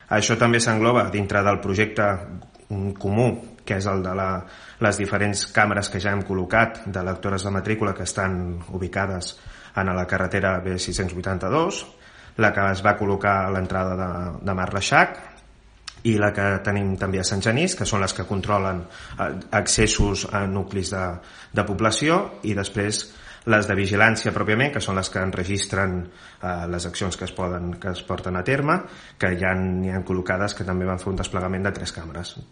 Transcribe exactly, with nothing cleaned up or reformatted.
Això també s'engloba dintre del projecte comú, que és el de la, les diferents càmeres que ja hem col·locat de lectores de matrícula que estan ubicades en la carretera B sis cents vuitanta-dos, la que es va col·locar a l'entrada de, de Mas Reixac i la que tenim també a Sant Genís, que són les que controlen accessos a nuclis de, de població, i després les de vigilància pròpiament, que són les que enregistren eh, les accions que es, poden, que es porten a terme, que ja n'hi ha col·locades que també van fer un desplegament de tres càmeres.